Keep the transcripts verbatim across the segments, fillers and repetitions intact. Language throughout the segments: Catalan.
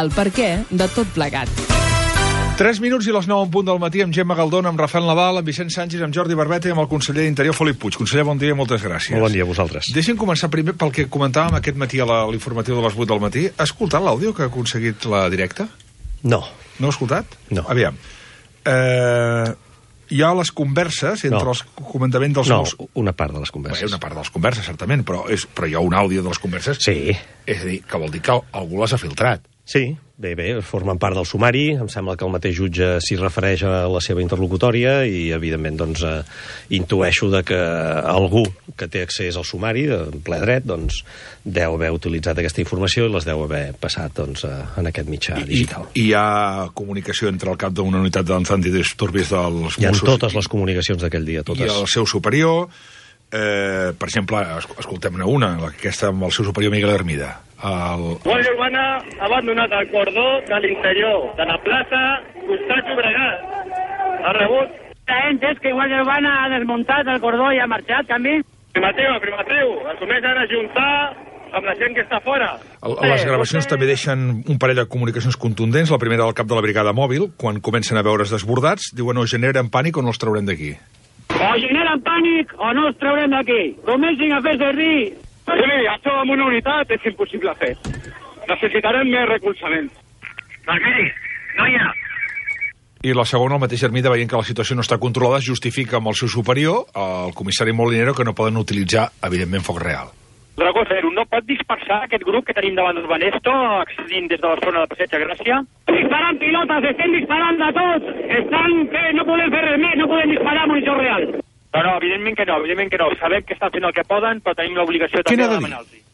el perquè de tot plegat. tres minuts i les nou en punt del matí amb Gemma Galdón, amb Rafael Nadal, amb Vicent Sánchez, amb Jordi Barbeta i amb el conseller d'Interior, Felip Puig. Conseller, bon dia i moltes gràcies. Molt bon dia a vosaltres. Deixem començar primer pel que comentàvem aquest matí a l'informatiu de les vuit del matí. Ha escoltat l'àudio que ha aconseguit la directa? No. No ha escoltat? No. Aviam. Eh, hi ha les converses entre no. els comandaments dels... No, Mos... una part de les converses. Bé, una part de les converses, certament, però, és, però hi ha un àudio de les converses. Sí. És a dir, que vol dir que algú les ha filtrat. Sí, bé, bé, formen part del sumari. Em sembla que el mateix jutge s'hi refereix a la seva interlocutòria i, evidentment, doncs, eh, intueixo de que algú que té accés al sumari, en ple dret, doncs, deu haver utilitzat aquesta informació i les deu haver passat, doncs, en aquest mitjà digital. I, i hi ha comunicació entre el cap d'una unitat d'antidisturbis dels Mossos... Hi ha totes les comunicacions d'aquell dia, totes. I el seu superior... Eh, per exemple, escoltem-ne una, aquesta amb el seu superior Miguel Hermida. El... Guàrdia Urbana ha abandonat el cordó de l'interior de la plaça Costat Llobregat. Ha rebut... És que Guàrdia Urbana ha desmuntat el cordó i ha marxat, també? Primatiu, primatiu, assumeix ara juntar amb la gent que està fora. El, les gravacions també deixen un parell de comunicacions contundents. La primera del cap de la brigada mòbil, quan comencen a veure's desbordats, diuen o generen pànic o no els traurem d'aquí. O generen pànic o no els traurem d'aquí. Comencin a fer servir. Sí, això amb una unitat és impossible fer. Necessitarem més recolzament. Doncs miri, no hi ha. I la segona, el mateix Hermida, veient que la situació no està controlada, justifica amb el seu superior, el comissari Molinero, que no poden utilitzar, evidentment, foc real. Dragó Zero, no pot dispersar aquest grup que tenim davant d'Urbanesto, accedint des de la zona de Passeig de Gràcia? Disparant pilotes, estem disparant de tots. Estan fent, no podem fer res més, no podem disparar munició real. No, no, evidentment que no, evidentment que no. Sabem que estan fent el que poden, però tenim l'obligació també de demanar-los.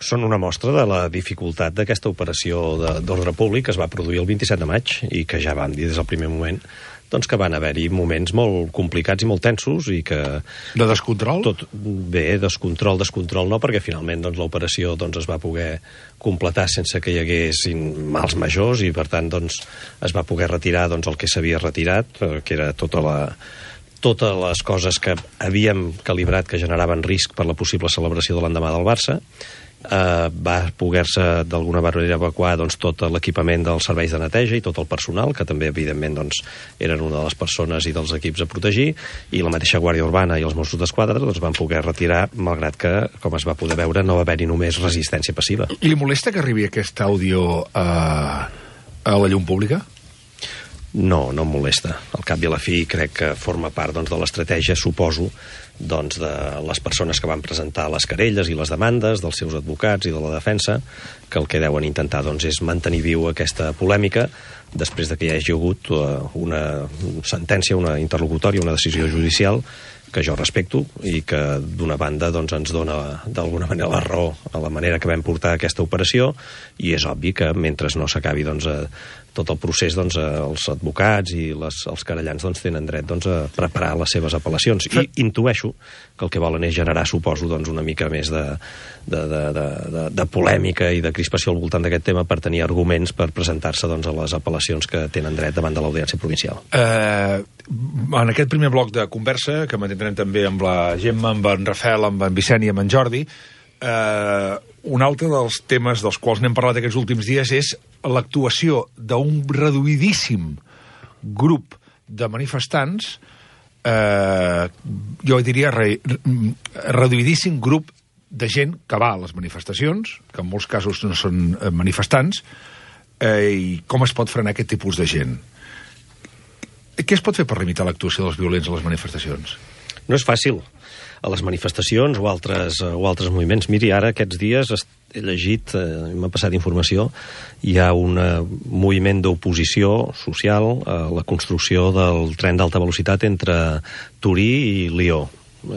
Són una mostra de la dificultat d'aquesta operació d'ordre públic que es va produir el vint-i-set de maig i que ja vam dir des del primer moment doncs que van haver-hi moments molt complicats i molt tensos i que... De descontrol? Tot, bé, descontrol, descontrol no, perquè finalment doncs, l'operació doncs, es va poder completar sense que hi haguessin mals majors i per tant doncs, es va poder retirar doncs, el que s'havia retirat, que era tota la... totes les coses que havíem calibrat que generaven risc per la possible celebració de l'endemà del Barça. Uh, va poder-se d'alguna manera evacuar doncs, tot l'equipament dels serveis de neteja i tot el personal, que també evidentment doncs, eren una de les persones i dels equips a protegir, i la mateixa Guàrdia Urbana i els Mossos d'Esquadra doncs, van poder retirar, malgrat que, com es va poder veure, no va haver-hi només resistència passiva. Li molesta que arribi aquest àudio a, a la llum pública? No, no em molesta. Al cap i a la fi crec que forma part doncs, de l'estratègia, suposo, doncs, de les persones que van presentar les querelles i les demandes, dels seus advocats i de la defensa, que el que deuen intentar doncs, és mantenir viu aquesta polèmica després de que hi hagi hagut una sentència, una interlocutòria, una decisió judicial que jo respecto i que d'una banda doncs, ens dona d'alguna manera la raó a la manera que vam portar aquesta operació i és obvi que mentre no s'acabi doncs, tot el procés, doncs, els advocats i les, els querellants doncs, tenen dret doncs, a preparar les seves apel·lacions i intueixo que el que volen és generar, suposo, doncs, una mica més de, de, de, de, de, de polèmica i de crispació al voltant d'aquest tema per tenir arguments per presentar-se doncs, a les apel·lacions que tenen dret davant de l'Audiència Provincial. Eh, en aquest primer bloc de conversa, que mantindrem també amb la Gemma, amb en Rafael, amb en Vicent i amb en Jordi, eh, un altre dels temes dels quals n'hem parlat aquests últims dies és l'actuació d'un reduïdíssim grup de manifestants, eh, jo diria re, reduïdíssim grup de gent que va a les manifestacions, que en molts casos no són manifestants, eh, i com es pot frenar aquest tipus de gent? Què es pot fer per limitar l'actuació dels violents a les manifestacions? No és fàcil. A les manifestacions o altres, o altres moviments. Miri, ara aquests dies he llegit, eh, m'ha passat informació, hi ha un moviment d'oposició social a la construcció del tren d'alta velocitat entre Turí i Lió,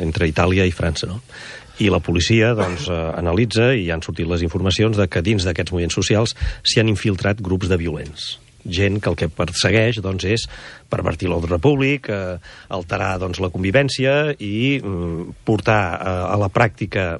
entre Itàlia i França, no? I la policia doncs, eh, analitza i han sortit les informacions de que dins d'aquests moviments socials s'hi han infiltrat grups de violents. Gent que el que persegueix doncs, és pervertir l'ordre públic, eh, alterar doncs, la convivència i mm, portar eh, a la pràctica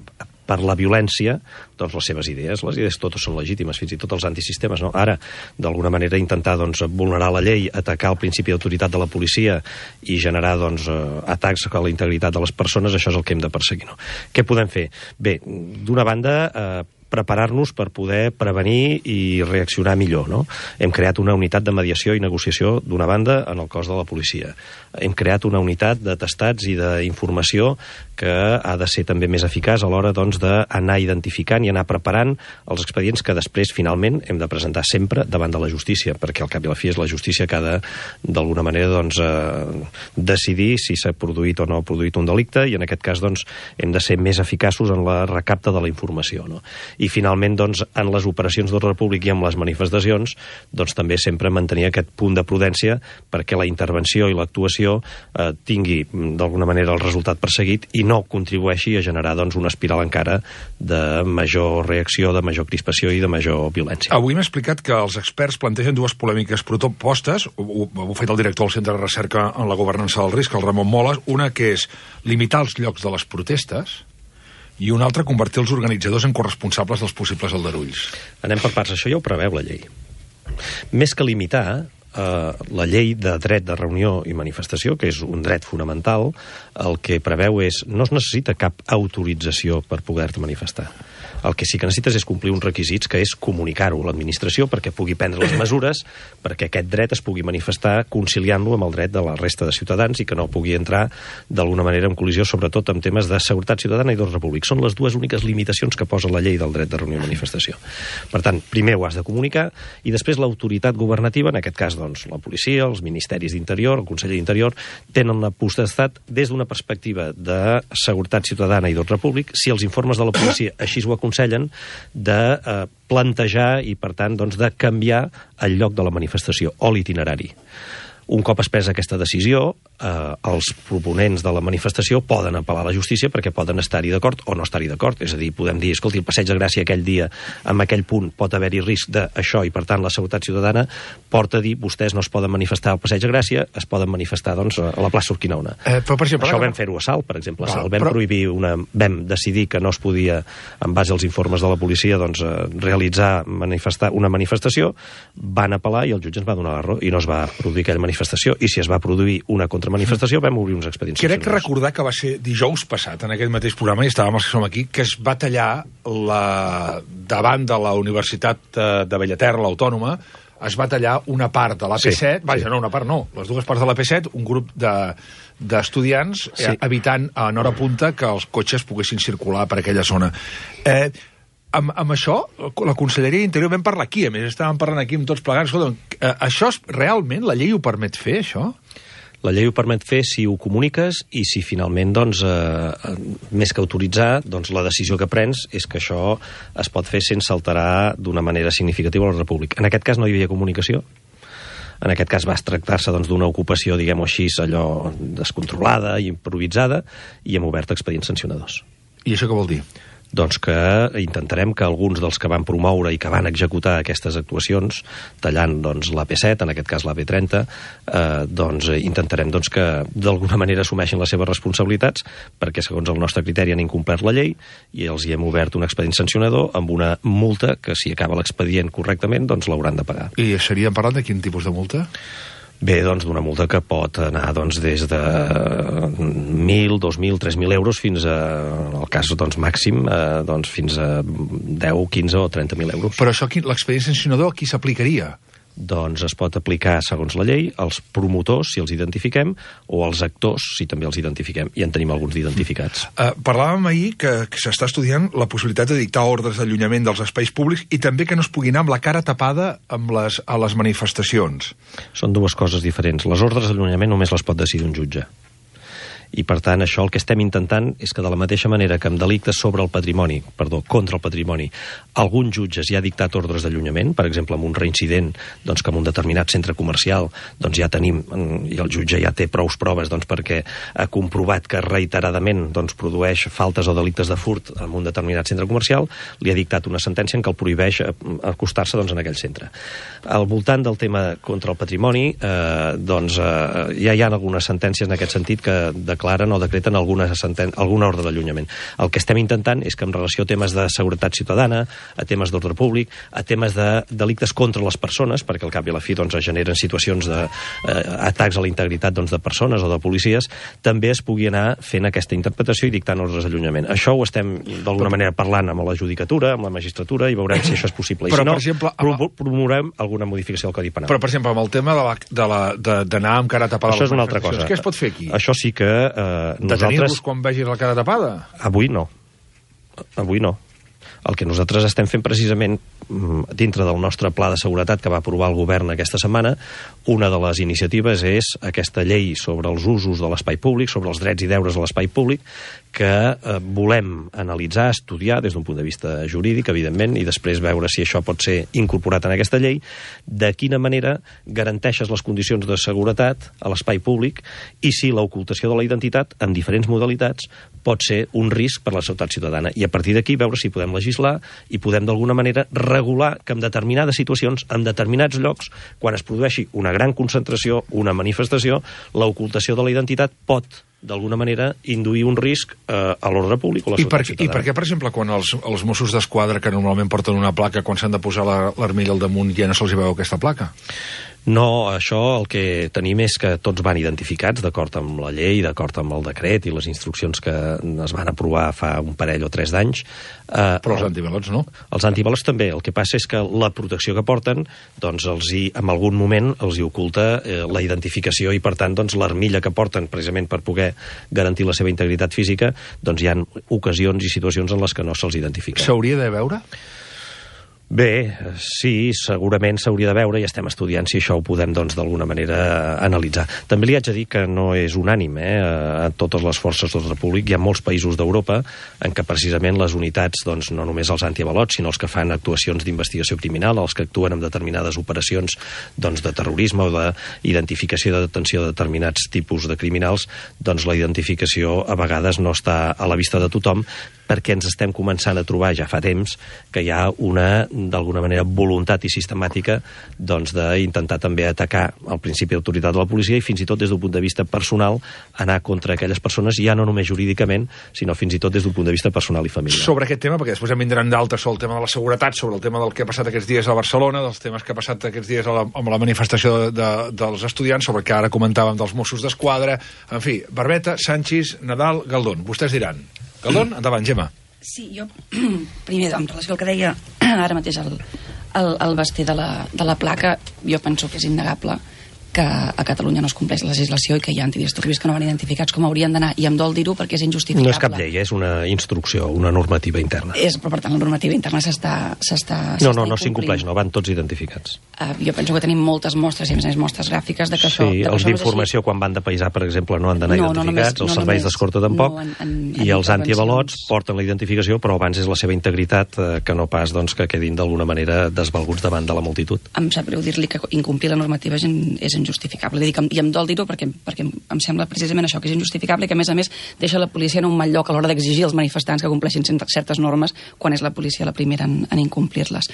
per la violència doncs, les seves idees. Les idees totes són legítimes, fins i tot els antisistemes. No? Ara, d'alguna manera, intentar doncs, vulnerar la llei, atacar el principi d'autoritat de la policia i generar doncs, atacs a la integritat de les persones, això és el que hem de perseguir. No? Què podem fer? Bé, d'una banda, eh, preparar-nos per poder prevenir i reaccionar millor, no? Hem creat una unitat de mediació i negociació d'una banda en el cos de la policia. Hem creat una unitat d'atestats i d'informació que ha de ser també més eficaç a l'hora doncs, d'anar identificant i anar preparant els expedients que després, finalment, hem de presentar sempre davant de la justícia, perquè al cap i a la fi és la justícia que ha de, d'alguna manera, doncs, eh, decidir si s'ha produït o no ha produït un delicte, i en aquest cas doncs, hem de ser més eficaços en la recapta de la informació. No? I finalment, doncs, en les operacions d'ordre públic i en les manifestacions, doncs, també sempre mantenir aquest punt de prudència perquè la intervenció i l'actuació eh, tingui, d'alguna manera, el resultat perseguit i no contribueixi a generar doncs, una espiral encara de major reacció, de major crispació i de major violència. Avui m'ha explicat que els experts plantegen dues polèmiques propostes, ho, ho ha fet el director del Centre de Recerca en la Governança del Risc, el Ramon Moles, una que és limitar els llocs de les protestes i una altra convertir els organitzadors en corresponsables dels possibles aldarulls. Anem per parts, això ja ho preveu la llei. Més que limitar, Uh, la llei de dret de reunió i manifestació, que és un dret fonamental, el que preveu és no es necessita cap autorització per poder-te manifestar. El que sí que necessites és complir uns requisits, que és comunicar-ho a l'administració perquè pugui prendre les mesures perquè aquest dret es pugui manifestar conciliant-lo amb el dret de la resta de ciutadans i que no pugui entrar d'alguna manera en col·lisió, sobretot en temes de seguretat ciutadana i d'ordre públic. Són les dues úniques limitacions que posa la llei del dret de reunió i manifestació. Per tant, primer ho has de comunicar i després l'autoritat governativa, en aquest cas doncs, la policia, els ministeris d'Interior, el Consell d'Interior, tenen la potestat des d'una perspectiva de seguretat ciutadana i d'ordre públic, si els informes de la policia així ho aconsellen, de eh, plantejar i, per tant, doncs, de canviar el lloc de la manifestació o l'itinerari. Un cop es presa aquesta decisió, eh, els proponents de la manifestació poden apel·lar a la justícia perquè poden estar-hi d'acord o no estar-hi d'acord. És a dir, podem dir, escolti, el Passeig de Gràcia aquell dia, en aquell punt, pot haver-hi risc d'això i, per tant, la seguretat ciutadana porta a dir, vostès no es poden manifestar al Passeig de Gràcia, es poden manifestar, doncs, a la plaça Urquinaona. Eh, però, per exemple, això ho vam fer-ho a Salt, per exemple. A Salt vam però... prohibir una... vam decidir que no es podia, en base als informes de la policia, doncs, realitzar manifestar una manifestació, van apel·lar i el jutge ens va donar la raó i no es va produir aquella manifestació. I si es va produir una contramanifestació vam obrir uns expedients. Crec que recordar que va ser dijous passat en aquest mateix programa, i estàvem els que som aquí, que es va tallar la... davant de la Universitat de Bellaterra, l'Autònoma, es va tallar una part de l'A P set, sí, vaja, sí. no, una part no, les dues parts de l'A P set, un grup de d'estudiants sí. eh, evitant en hora punta que els cotxes poguessin circular per aquella zona. Eh, Amb, amb això, la Conselleria d'Interior vam parlar aquí, a més estàvem parlant aquí amb tots plegats. Escolta, eh, això és, realment la llei ho permet fer, això? La llei ho permet fer si ho comuniques i si finalment, doncs, eh, més que autoritzar, doncs la decisió que prens és que això es pot fer sense alterar d'una manera significativa l'ordre públic. En aquest cas no hi havia comunicació. En aquest cas va tractar-se doncs, d'una ocupació, diguem-ho així, allò descontrolada i improvisada, i hem obert expedients sancionadors. I això què vol dir? Doncs que intentarem que alguns dels que van promoure i que van executar aquestes actuacions, tallant doncs, l'A P set, en aquest cas l'A P trenta, eh, doncs intentarem doncs, que d'alguna manera assumeixin les seves responsabilitats, perquè segons el nostre criteri han incomplert la llei i els hi hem obert un expedient sancionador amb una multa que, si acaba l'expedient correctament, doncs l'hauran de pagar. I estaríem parlant de quin tipus de multa? Bé, doncs d'una multa que pot anar doncs, des de mil, dos mil, tres mil euros fins a, en el cas doncs, màxim, eh, doncs, fins a deu, quinze o trenta mil euros. Però això, l'expedient sancionador, a qui s'aplicaria? Doncs es pot aplicar, segons la llei, als promotors, si els identifiquem, o als actors, si també els identifiquem. I en tenim alguns d'identificats. Uh, parlàvem ahir que, que s'està estudiant la possibilitat de dictar ordres d'allunyament dels espais públics i també que no es pugui anar amb la cara tapada amb les, a les manifestacions. Són dues coses diferents. Les ordres d'allunyament només les pot decidir un jutge. I, per tant, això el que estem intentant és que de la mateixa manera que amb delictes sobre el patrimoni, perdó, contra el patrimoni, algun jutge ja ha dictat ordres d'allunyament, per exemple, amb un reincident, doncs que en un determinat centre comercial doncs ja tenim, i el jutge ja té prous proves doncs, perquè ha comprovat que reiteradament doncs, produeix faltes o delictes de furt en un determinat centre comercial, li ha dictat una sentència en què el prohibeix acostar-se doncs, en aquell centre. Al voltant del tema contra el patrimoni, eh, doncs, eh, ja hi ha algunes sentències en aquest sentit que de declaren o decreten alguna, senten... alguna ordre d'allunyament. El que estem intentant és que en relació a temes de seguretat ciutadana, a temes d'ordre públic, a temes de delictes contra les persones, perquè al cap i a la fi doncs, es generen situacions d'atacs eh, a la integritat doncs, de persones o de policies, també es pugui anar fent aquesta interpretació i dictant ordres d'allunyament. Això ho estem d'alguna manera parlant amb la judicatura, amb la magistratura, i veurem si això és possible. I però, si no, per exemple, pro promourem alguna modificació del Codi Penal. Però, per exemple, amb el tema d'anar amb cara tapada... Això és una altra cosa. Què es pot fer aquí? Això sí que eh, nosaltres... Detenir-los quan vegis la cara tapada? Avui no. Avui no. El que nosaltres estem fent precisament dintre del nostre pla de seguretat que va aprovar el govern aquesta setmana, una de les iniciatives és aquesta llei sobre els usos de l'espai públic, sobre els drets i deures de l'espai públic, que eh, volem analitzar, estudiar des d'un punt de vista jurídic, evidentment, i després veure si això pot ser incorporat en aquesta llei, de quina manera garanteixes les condicions de seguretat a l'espai públic i si l'ocultació de la identitat, en diferents modalitats, pot ser un risc per a la seguretat ciutadana. I a partir d'aquí veure si podem legislar i podem d'alguna manera regular que en determinades situacions, en determinats llocs, quan es produeixi una gran concentració, una manifestació, l'ocultació de la identitat pot d'alguna manera induir un risc eh, a l'ordre públic o a la seguretat ciutadana. I per què, per exemple, quan els, els Mossos d'Esquadra, que normalment porten una placa, quan s'han de posar l'armilla al damunt ja no se'ls veu aquesta placa? No, això el que tenim és que tots van identificats d'acord amb la llei, d'acord amb el decret i les instruccions que es van aprovar fa un parell o tres d'anys. Eh, Però els antibalots no? Els antibalots també. El que passa és que la protecció que porten, doncs, els hi, en algun moment els hi oculta eh, la identificació i, per tant, doncs, l'armilla que porten precisament per poder garantir la seva integritat física, doncs hi ha ocasions i situacions en les que no se'ls identifica. S'hauria de veure? Bé, sí, segurament s'hauria de veure i estem estudiant si això ho podem, doncs, d'alguna manera analitzar. També li haig de dir que no és unànime, eh? A totes les forces d'ordre públic hi ha molts països d'Europa en què precisament les unitats, doncs, no només els antiavalots, sinó els que fan actuacions d'investigació criminal, els que actuen en determinades operacions, doncs, de terrorisme o d'identificació i de detenció de determinats tipus de criminals, doncs la identificació a vegades no està a la vista de tothom, perquè ens estem començant a trobar ja fa temps que hi ha una, d'alguna manera, voluntat i sistemàtica doncs, d'intentar també atacar el principi d'autoritat de la policia i fins i tot des d'un punt de vista personal anar contra aquelles persones, ja no només jurídicament, sinó fins i tot des d'un punt de vista personal i familiar. Sobre aquest tema, perquè després en vindran d'altres sobre el tema de la seguretat, sobre el tema del que ha passat aquests dies a Barcelona, dels temes que ha passat aquests dies a la, amb la manifestació de, de, dels estudiants, sobre el que ara comentàvem dels Mossos d'Esquadra, en fi, Barbeta, Sanchis, Nadal, Galdón. Vostès diran. Galdón, endavant, Gemma. Sí, jo, primer, en relació al que deia ara mateix el, el, el Basté de la, de la placa, jo penso que és innegable que a Catalunya no es compleix la legislació i que hi ha antidisturbis que no van identificats com haurien d'anar, i em dol dir-ho perquè és injustificable. No és cap llei, és una instrucció, una normativa interna. És, però per tant la normativa interna s'està No, no, no s'incompleix, no, van tots identificats. Uh, jo penso que tenim moltes mostres, i a més a més mostres gràfiques de que això... Sí, els d'informació quan van de paisà, per exemple, no han d'anar no, identificats, no només, els no serveis només, d'escorta tampoc, no, en, en, i en els antiavalots porten la identificació, però abans és la seva integritat eh, que no pas doncs, que quedin d'alguna manera desvalguts davant de la multitud. Em sap greu dir-li que incomplir la normativa és, in, és injustificable. Dic, i em dol dir-ho perquè, perquè em sembla precisament això, que és injustificable i que a més a més deixa la policia en un mal lloc a l'hora d'exigir als manifestants que compleixin certes normes quan és la policia la primera en, en incomplir-les.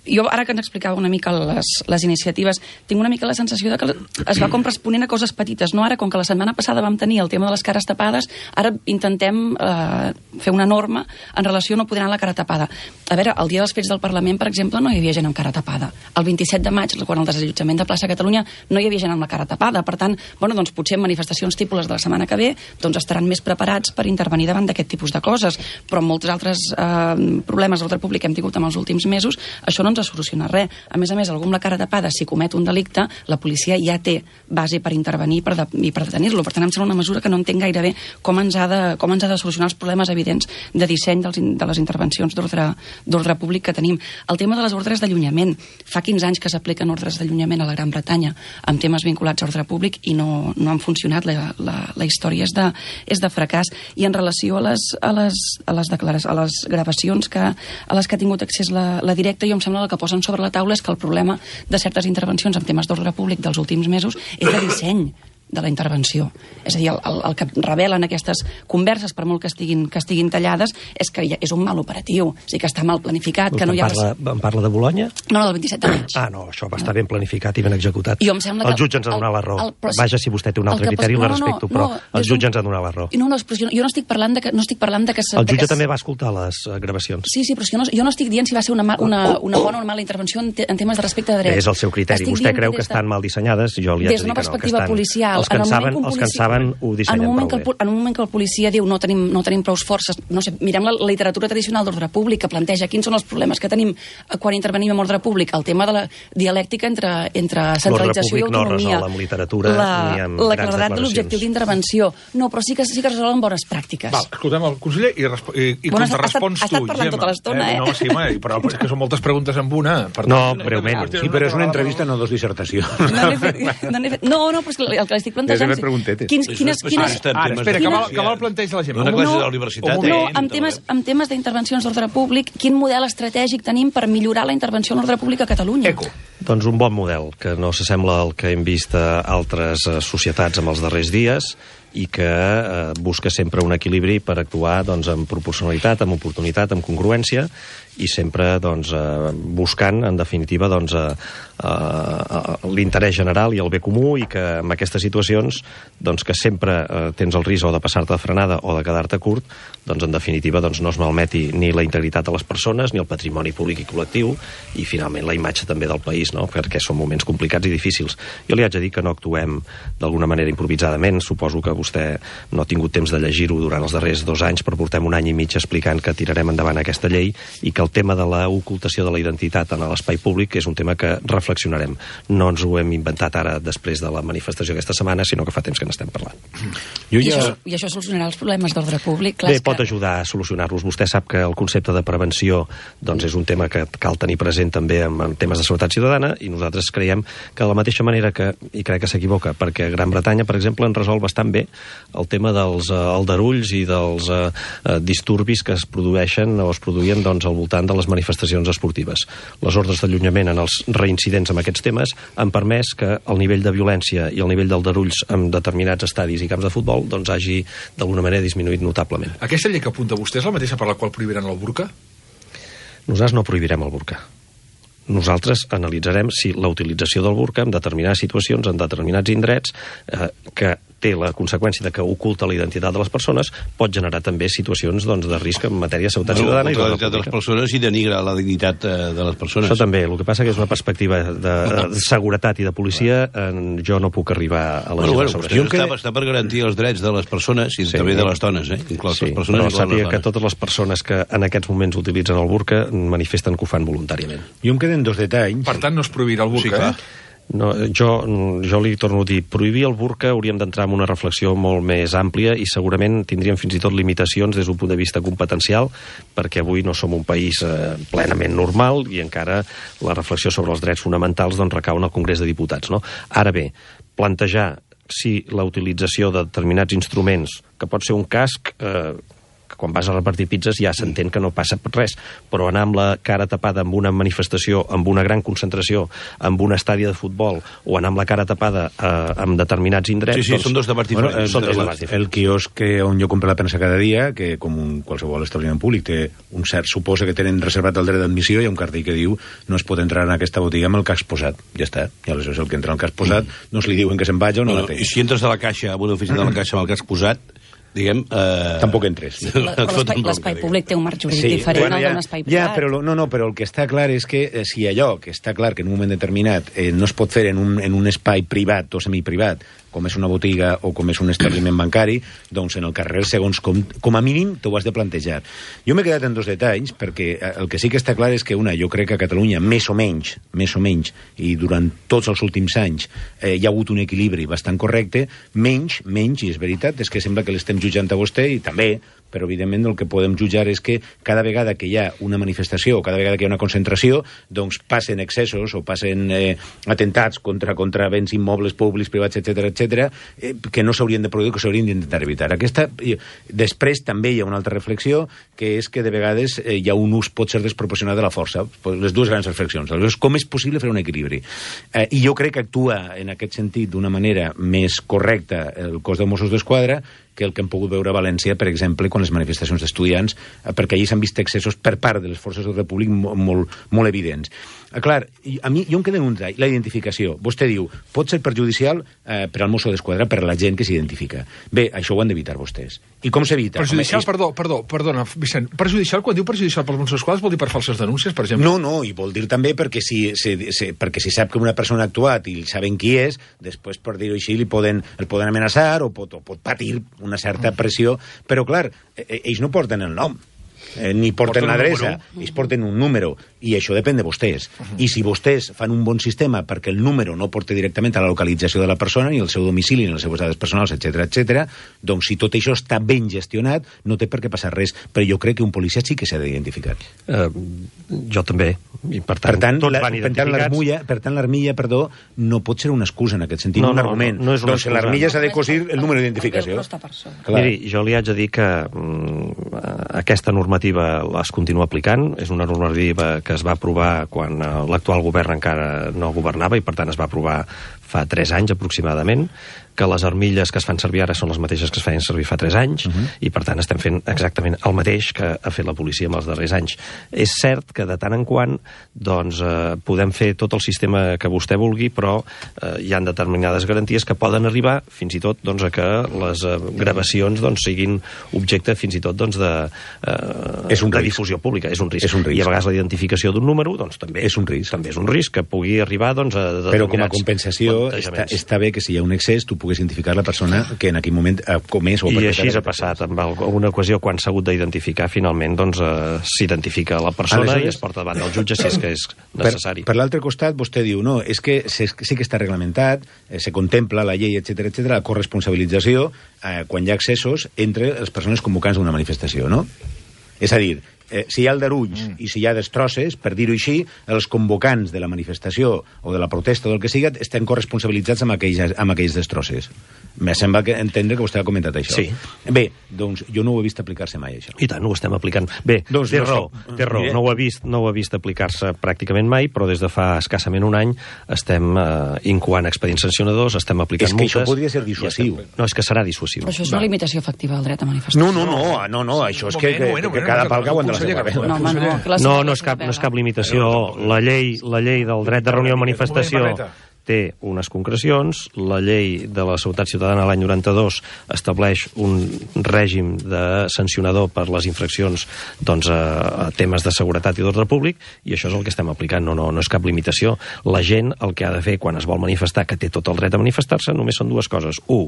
Jo, ara que ens explicava una mica les, les iniciatives, tinc una mica la sensació de que es va com responent a coses petites, no? Ara, com que la setmana passada vam tenir el tema de les cares tapades, ara intentem eh, fer una norma en relació a no poder anar la cara tapada. A veure, el dia dels fets del Parlament, per exemple, no hi havia gent amb cara tapada. El vint-i-set de maig, quan el desallotjament de plaça Catalunya, no hi havia gent amb la cara tapada. Per tant, bueno, doncs potser en manifestacions tipus de la setmana que ve doncs estaran més preparats per intervenir davant d'aquest tipus de coses. Però amb molts altres eh, problemes d'ordre públic que hem tingut en els últims mesos, això no ens ha solucionat res. A més a més, algú amb la cara tapada, si comet un delicte, la policia ja té base per intervenir per de, i per detenir-lo. Per tant, em sembla una mesura que no entenc gaire bé com ens ha de, com ens ha de solucionar els problemes evidents de disseny dels, de les intervencions d'ordre públic que tenim. El tema de les ordres d'allunyament. Fa quinze anys que s'apliquen ordres d'allunyament a la Gran Bretanya amb temes vinculats a ordre públic i no, no han funcionat. La, la, la història és de, és de fracàs. I en relació a les, a les, a les, declaracions, a les gravacions que, a les que ha tingut accés la, la directa, jo em sembla que posen sobre la taula és que el problema de certes intervencions en temes d'ordre públic dels últims mesos és de disseny. de la intervenció. És a dir, el, el, el que revelen aquestes converses, per molt que estiguin, que estiguin tallades, és que és un mal operatiu, o sigui que està mal planificat, que no hi ha... Parla, em parla de Bologna? No, no, del vint-i-set de maig. Ah, no, això va estar ben planificat i ben executat. Jo em sembla que... El jutge ens ha donat la raó. El, el, Vaja, si vostè té un altre criteri, la respecto, però el jutge ens ha donat la raó. No, no, però jo no estic parlant de que... No estic parlant de que el jutge també va escoltar les gravacions. Sí, sí, però jo no, jo no estic dient si va ser una, una, una bona o una mala intervenció en, te, en temes de respecte de drets. És el seu criteri. Vostè creu que estan mal dissenyades? Jo li haig de dir que no. Des d'una perspectiva policial. Els que en saben, els que en saben ho dissenyen prou bé. En un moment que el policia diu no tenim, no tenim prou forces, no sé, mirem la literatura tradicional d'ordre públic que planteja quins són els problemes que tenim quan intervenim en ordre públic, el tema de la dialèctica entre, entre centralització i autonomia. No resol amb literatura la, ni amb la grans claredat de l'objectiu d'intervenció. No, però sí que, sí que es resolen bones pràctiques. Val, escoltem el conseller i, i, i bueno, contrarespons tu, ha estat parlant Gemma. Tota l'estona, eh? No, sí, home, però és que són moltes preguntes en una. Per no, breument. Sí, però és una entrevista, no dos dissertacions. No, fet, no, fet, no, no, però és que el que l'estic plantejant... Quins, quines, quines, Ara, espera, que mal, que mal planteja la gent. Una classe de la universitat. No, amb temes, amb temes d'intervencions d'ordre públic, quin model estratègic tenim per millorar la intervenció en l'ordre públic a Catalunya? Eco. Doncs un bon model, que no s'assembla al que hem vist a altres societats en els darrers dies i que eh, busca sempre un equilibri per actuar doncs, amb proporcionalitat, amb oportunitat, amb congruència i sempre doncs, eh, buscant, en definitiva, doncs, eh, eh, l'interès general i el bé comú i que en aquestes situacions doncs, que sempre eh, tens el risc o de passar-te de frenada o de quedar-te curt, doncs, en definitiva doncs, no es malmeti ni la integritat de les persones ni el patrimoni públic i col·lectiu i finalment la imatge també del país, no? Perquè són moments complicats i difícils. Jo li haig de dir que no actuem d'alguna manera improvisadament, suposo que vostè no ha tingut temps de llegir-ho durant els darrers dos anys, però portem un any i mig explicant que tirarem endavant aquesta llei i que el tema de l'ocultació de la identitat en l'espai públic és un tema que reflexionarem. No ens ho hem inventat ara després de la manifestació aquesta setmana, sinó que fa temps que n'estem parlant. Jo ja... I, això, I això solucionarà els problemes d'ordre públic? Clar, Bé, pot que... ajudar a solucionar-los. Vostè sap que el concepte de prevenció doncs, és un tema que cal tenir present també en, en temes de seguretat ciutadana i nosaltres creiem que de la mateixa manera que, i crec que s'equivoca, perquè Gran Bretanya, per exemple, en resol bastant bé el tema dels uh, aldarulls i dels uh, uh, disturbis que es produeixen o es produïen doncs, al voltant de les manifestacions esportives. Les ordres d'allunyament en els reincidents amb aquests temes han permès que el nivell de violència i el nivell d'aldarulls en determinats estadis i camps de futbol doncs, hagi d'alguna manera disminuït notablement. Aquesta llei que apunta vostè és la mateixa per la qual prohibiran el burca? Nosaltres no prohibirem el burca. Nosaltres analitzarem si la utilització del burca en determinades situacions, en determinats indrets, eh, que té la conseqüència de que oculta la identitat de les persones, pot generar també situacions doncs, de risc en matèria de seguretat bueno, ciutadana. I la dignitat de les persones i denigra la dignitat de les persones. Això també. El que passa que és una perspectiva de, de seguretat i de policia, en, jo no puc arribar a la bueno, bueno, sobre això. Està, està per garantir els drets de les persones i sí, també de les dones, eh? Inclòs sí, les persones però i sàpiga que totes les persones que en aquests moments utilitzen el burca manifesten que ho fan voluntàriament. Jo em queden dos detalls. Per tant, no es prohibirà el burca, sí, eh? No, jo, jo li torno a dir, prohibir el burca hauríem d'entrar en una reflexió molt més àmplia i segurament tindríem fins i tot limitacions des d'un punt de vista competencial, perquè avui no som un país eh, plenament normal i encara la reflexió sobre els drets fonamentals doncs, recau en el Congrés de Diputats. No? Ara bé, plantejar si la utilització de determinats instruments, que pot ser un casc... Eh, que quan vas a repartir pizzas ja s'entén que no passa res, però anar amb la cara tapada amb una manifestació, amb una gran concentració, amb un estadi de futbol, o anar amb la cara tapada eh, amb determinats indrets... Sí, sí, doncs, són dos debats diferents. Bueno, són dos debats diferents. El quiosc on jo compro la premsa cada dia, que com un, qualsevol establiment públic té un cert, suposa que tenen reservat el dret d'admissió, hi ha un cartell que diu no es pot entrar en aquesta botiga amb el casc posat. Ja està. I aleshores el que entra amb el casc posat mm. no se li diuen que se'n vagi o no, no la té. I si entres a la caixa, a una oficina de la caixa amb el casc posat, diguem... Eh... Tampoc entres. L'espai públic té un marc jurídic sí, diferent bueno, ja, al d'un espai privat. Ja, però, no, no, però el que està clar és que eh, si allò que està clar que en un moment determinat eh, no es pot fer en un, en un espai privat o semiprivat, com és una botiga o com és un establiment bancari, doncs en el carrer, segons com, com a mínim, t'ho has de plantejar. Jo m'he quedat en dos detalls, perquè el que sí que està clar és que, una, jo crec que a Catalunya, més o menys, més o menys, i durant tots els últims anys eh, hi ha hagut un equilibri bastant correcte, menys, menys, i és veritat, és que sembla que l'estem jutjant a vostè, i també, però evidentment el que podem jutjar és que cada vegada que hi ha una manifestació o cada vegada que hi ha una concentració, doncs passen excessos o passen eh, atentats contra, contra béns immobles públics, privats, etcètera, etcètera, eh, que no s'haurien de produir, que s'haurien d'intentar evitar. Aquesta, eh, després també hi ha una altra reflexió, que és que de vegades eh, hi ha un ús pot ser desproporcionat de la força. Les dues grans reflexions. Aleshores, com és possible fer un equilibri? Eh, I jo crec que actua en aquest sentit d'una manera més correcta el cos de Mossos d'Esquadra que el que hem pogut veure a València, per exemple, quan les manifestacions d'estudiants, eh, perquè allí s'han vist excessos per part de les forces del Repúblic molt, molt, molt evidents. Eh, clar, a mi, jo em quedo en un detall, la identificació. Vostè diu, pot ser perjudicial eh, per al Mosso d'Esquadra, per a la gent que s'identifica. Bé, això ho han d'evitar vostès. I com s'evita? Perjudicial, Home, perdó, perdó, perdona, Vicent, perjudicial, quan diu perjudicial pels Mossos d'Esquadra vol dir per falses denúncies, per exemple? No, no, i vol dir també perquè si, si, si, perquè si sap que una persona ha actuat i saben qui és, després, per dir-ho així, li poden, el poden amenaçar o pot, o pot patir una certa pressió, però clar, ells no porten el nom, eh, ni porten, porten l'adreça, ells porten un número, i això depèn de vostès. Uh -huh. I si vostès fan un bon sistema perquè el número no porta directament a la localització de la persona, ni el seu domicili, ni les seves dades personals, etcètera, etcètera, doncs si tot això està ben gestionat, no té per què passar res. Però jo crec que un policia sí que s'ha d'identificar. Uh, jo també. I per tant, per tant, tots la, van identificats. l'armilla, per tant, l'armilla, perdó, no pot ser una excusa en aquest sentit, no, un no, argument. No, no és una doncs excusa. l'armilla s'ha de cosir el número d'identificació. Miri, jo li haig de dir que mm, aquesta normativa es continua aplicant. És una normativa que es va aprovar quan l'actual govern encara no governava i, per tant, es va aprovar fa tres anys aproximadament, que les armilles que es fan servir ara són les mateixes que es feien servir fa tres anys, uh -huh. i per tant estem fent exactament el mateix que ha fet la policia en els darrers anys. És cert que de tant en quant doncs, eh, podem fer tot el sistema que vostè vulgui, però eh, hi ha determinades garanties que poden arribar fins i tot doncs, a que les eh, gravacions doncs, siguin objecte fins i tot doncs, de, eh, és un de risc. difusió pública. És un risc. És un risc. I a vegades la identificació d'un número doncs, també és un risc. També és un risc que pugui arribar doncs, a determinats però com a compensació està, està bé que si hi ha un excés tu puguis identificar la persona que en aquell moment ha comès o ha I així ha passat. En alguna ocasió, quan s'ha hagut d'identificar, finalment doncs, eh, s'identifica la persona Aleshores, i es porta davant del jutge si és que és necessari. Per, per l'altre costat, vostè diu, no, és que sí que està reglamentat, eh, se contempla la llei, etcètera, etcètera, la corresponsabilització eh, quan hi ha excessos entre les persones convocants d'una manifestació, no? És a dir, eh, si hi ha aldarulls mm. i si hi ha destrosses, per dir-ho així, els convocants de la manifestació o de la protesta o del que siga estan corresponsabilitzats amb aquells, amb aquells destrosses. Me sembla que entendre que vostè ha comentat això. Sí. Bé, doncs jo no ho he vist aplicar-se mai, això. I tant, ho estem aplicant. Bé, doncs té no raó, té raó. No ho he vist, no ho he vist aplicar-se pràcticament mai, però des de fa escassament un any estem eh, incoant expedients sancionadors, estem aplicant multes... És que multes, això podria ser dissuasiu. No, és que serà dissuasiu. Però això és una limitació efectiva del dret a manifestació. No, no, no, no, no això és que, que, que, que cada pal cau en de la seva No, home, no, que la no, no és cap, no és cap limitació. La llei, la llei del dret de reunió i manifestació té unes concrecions, la llei de la Seguretat Ciutadana l'any noranta-dos estableix un règim de sancionador per les infraccions doncs, a, a temes de seguretat i d'ordre públic, i això és el que estem aplicant, no, no, no és cap limitació. La gent el que ha de fer quan es vol manifestar, que té tot el dret a manifestar-se, només són dues coses. Un,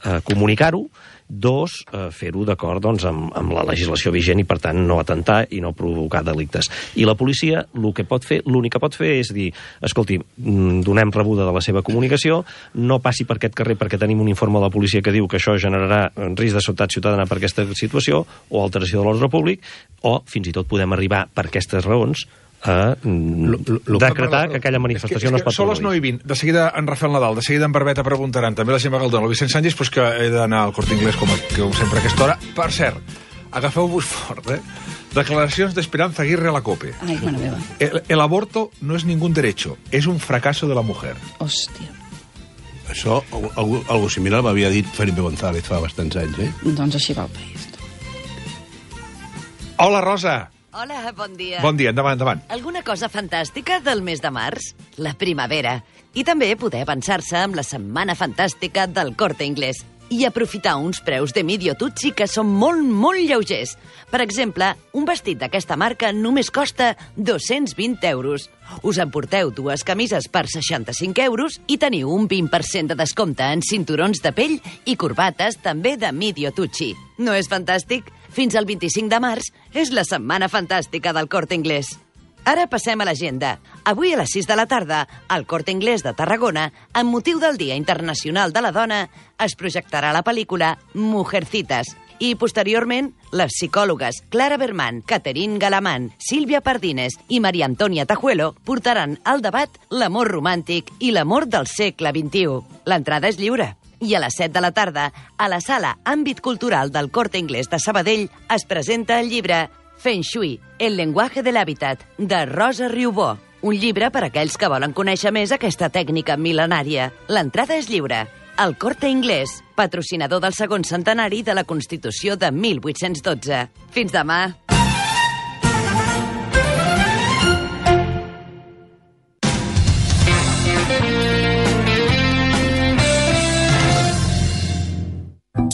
eh, comunicar-ho, dos, eh, fer-ho d'acord doncs, amb, amb la legislació vigent i, per tant, no atentar i no provocar delictes. I la policia el que pot fer, l'únic que pot fer és dir, escolti, donem rebuda de la seva comunicació, no passi per aquest carrer perquè tenim un informe de la policia que diu que això generarà risc de seguretat ciutadana per aquesta situació o alteració de l'ordre públic, o fins i tot podem arribar per aquestes raons a decretar que aquella manifestació és que, és que no es pot són les nou i vint. De seguida en Rafael Nadal, de seguida en Barbeta preguntaran, també la Gemma Galdón, el Vicent Sánchez, pues que he d'anar al Corte Inglés com, com sempre a aquesta hora. Per cert, agafeu-vos fort, eh? Declaracions d'Esperanza Aguirre a la COPE. Ai, mare meva. El, el aborto no es ningún derecho, es un fracaso de la mujer. Hòstia. Això, algú, algú similar m'havia dit Felipe González fa bastants anys, eh? Doncs així va el país. Hola, Rosa! Hola, bon dia. Bon dia, endavant, endavant. Alguna cosa fantàstica del mes de març? La primavera. I també poder avançar-se amb la setmana fantàstica del Corte Inglés i aprofitar uns preus de Medio Tucci que són molt, molt lleugers. Per exemple, un vestit d'aquesta marca només costa dos-cents vint euros. Us emporteu dues camises per seixanta-cinc euros i teniu un vint per cent de descompte en cinturons de pell i corbates també de Medio Tucci. No és fantàstic? Fins al vint-i-cinc de març és la setmana fantàstica del Corte Inglés. Ara passem a l'agenda. Avui a les sis de la tarda, al Corte Inglés de Tarragona, amb motiu del Dia Internacional de la Dona, es projectarà la pel·lícula Mujercitas I, posteriorment, les psicòlogues Clara Berman, Catherine Galamán, Sílvia Pardines i Maria Antònia Tajuelo portaran al debat l'amor romàntic i l'amor del segle vint-i-u. L'entrada és lliure. I a les set de la tarda, a la sala Àmbit Cultural del Corte Inglés de Sabadell, es presenta el llibre Feng Shui, el lenguaje del hábitat, de Rosa Riubó. Un llibre per a aquells que volen conèixer més aquesta tècnica mil·lenària. L'entrada és lliure. El Corte Inglés, patrocinador del segon centenari de la Constitució de mil vuit-cents dotze. Fins demà.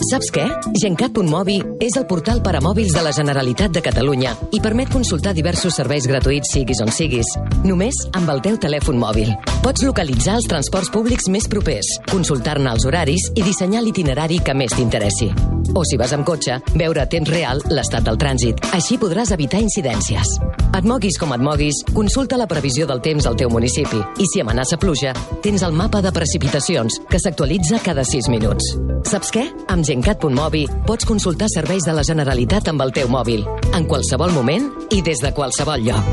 Saps què? Gencat punt mobi és el portal per a mòbils de la Generalitat de Catalunya i permet consultar diversos serveis gratuïts siguis on siguis, només amb el teu telèfon mòbil. Pots localitzar els transports públics més propers, consultar-ne els horaris i dissenyar l'itinerari que més t'interessi. O si vas amb cotxe, veure a temps real l'estat del trànsit. Així podràs evitar incidències. Et moguis com et moguis, consulta la previsió del temps al teu municipi i si amenaça pluja, tens el mapa de precipitacions que s'actualitza cada sis minuts. Saps què? Amb Gencat punt mobi pots consultar serveis de la Generalitat amb el teu mòbil, en qualsevol moment i des de qualsevol lloc.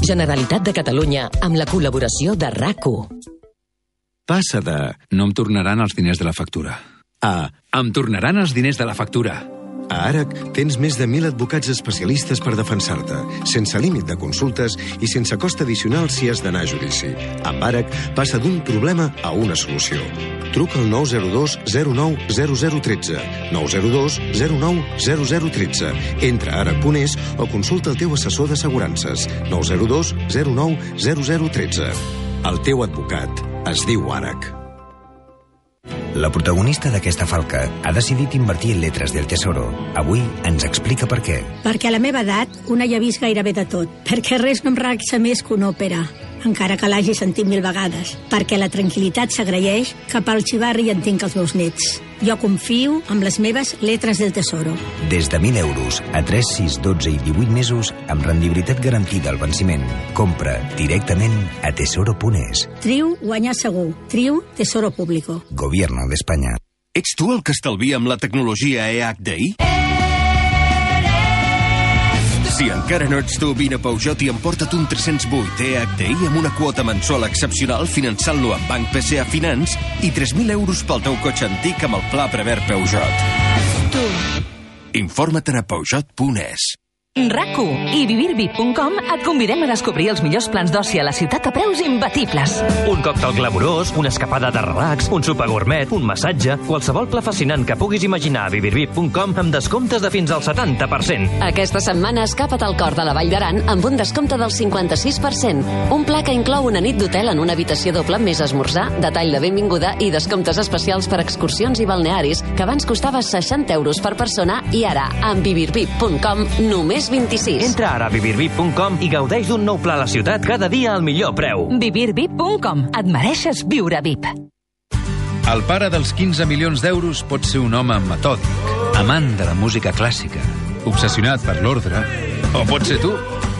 Generalitat de Catalunya, amb la col·laboració de R A C U. Passa de no em tornaran els diners de la factura a em tornaran els diners de la factura. A ARAC tens més de mil advocats especialistes per defensar-te, sense límit de consultes i sense cost addicional si has d'anar a judici. Amb ARAC passa d'un problema a una solució. Truca al nou zero dos zero nou zero zero un tres, nou zero dos zero nou zero zero un tres, entra a arac punt es o consulta el teu assessor d'assegurances, nou zero dos zero nou zero zero un tres. El teu advocat es diu ARAC. La protagonista d'aquesta falca ha decidit invertir en lletres del Tesoro. Avui ens explica per què. Perquè a la meva edat una ja ha vist gairebé de tot. Perquè res no em relaxa més que una òpera, encara que l'hagi sentit mil vegades. Perquè la tranquil·litat s'agraeix cap al xivarri i en tinc els meus nets. Jo confio amb les meves lletres del Tesoro. Des de mil euros a tres, sis, dotze i divuit mesos amb rendibilitat garantida al venciment. Compra directament a tesoro punt es. Triu guanyar segur. Triu Tesoro Público. Gobierno d'Espanya. Ets tu el que estalvia amb la tecnologia E H D I? Si encara no ets tu, vine a Peugeot i emporta't un tres-cents vuit E H D I amb una quota mensual excepcional finançant-lo amb Banc P C A Finance i tres mil euros pel teu cotxe antic amb el pla Prevert Peugeot. Tu. Informa't a Peugeot punt es. R A C U i vivir vip punt com et convidem a descobrir els millors plans d'oci a la ciutat a preus imbatibles. Un còctel glamurós, una escapada de relax, un sopar gourmet, un massatge, qualsevol pla fascinant que puguis imaginar a vivir vip punt com amb descomptes de fins al setanta per cent. Aquesta setmana escapa't al cor de la Vall d'Aran amb un descompte del cinquanta-sis per cent. Un pla que inclou una nit d'hotel en una habitació doble més esmorzar, detall de benvinguda i descomptes especials per excursions i balnearis que abans costava seixanta euros per persona i ara, amb vivir vip punt com, només vint-i-sis. Entra ara a vivir vip punt com i gaudeix d'un nou pla a la ciutat cada dia al millor preu. vivir vip punt com. Et mereixes viure V I P. El pare dels quinze milions d'euros pot ser un home metòdic, amant de la música clàssica, obsessionat per l'ordre, o pot ser tu.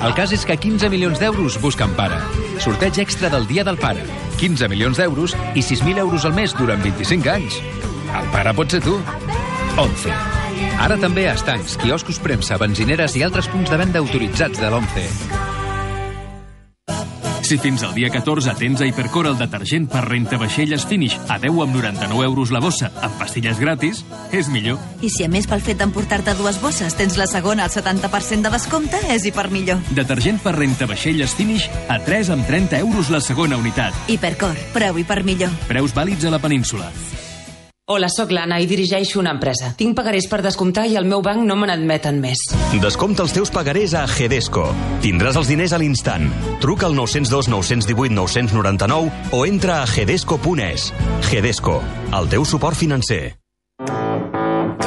El cas és que quinze milions d'euros busquen pare. Sorteig extra del Dia del Pare. quinze milions d'euros i sis mil euros al mes durant vint-i-cinc anys. El pare pot ser tu. onze. Ara també a estancs, quioscos, premsa, benzineres i altres punts de venda autoritzats de l'ONCE. Si fins al dia catorze tens a Hipercor el detergent per rentavaixelles Finish a deu amb noranta-nou euros la bossa, amb pastilles gratis, és millor. I si a més pel fet d'emportar-te dues bosses tens la segona al setanta per cent de descompte, és hiper millor. Detergent per rentavaixelles Finish a tres amb trenta euros la segona unitat. Hipercor, preu hiper millor. Preus vàlids a la península. Hola, sóc l'Anna i dirigeixo una empresa. Tinc pagarés per descomptar i el meu banc no me n'admeten més. Descompta els teus pagarés a Hedesco. Tindràs els diners a l'instant. Truca al nou zero dos nou un vuit nou nou nou o entra a hedesco punt es. Hedesco, el teu suport financer.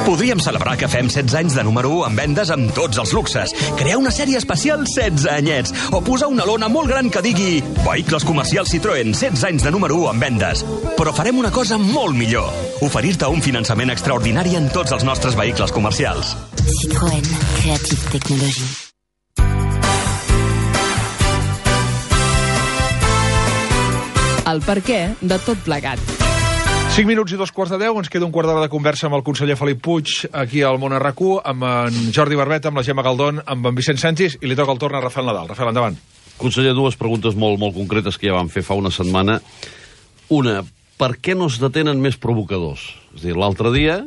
Podríem celebrar que fem setze anys de número u en vendes amb tots els luxes, crear una sèrie especial setze anyets, o posar una lona molt gran que digui Vehicles comercials Citroën, setze anys de número u en vendes. Però farem una cosa molt millor, oferir-te un finançament extraordinari en tots els nostres vehicles comercials. Citroën, Creative Technology. El perquè de tot plegat. cinc minuts i dos quarts de deu, ens queda un quart d'hora de conversa amb el conseller Felip Puig, aquí al Món R Q, amb en Jordi Barbeta, amb la Gemma Galdón, amb en Vicent Sánchez, i li toca el torn a Rafael Nadal. Rafael, endavant. Conseller, dues preguntes molt, molt concretes que ja vam fer fa una setmana. Una, per què no es detenen més provocadors? És a dir, l'altre dia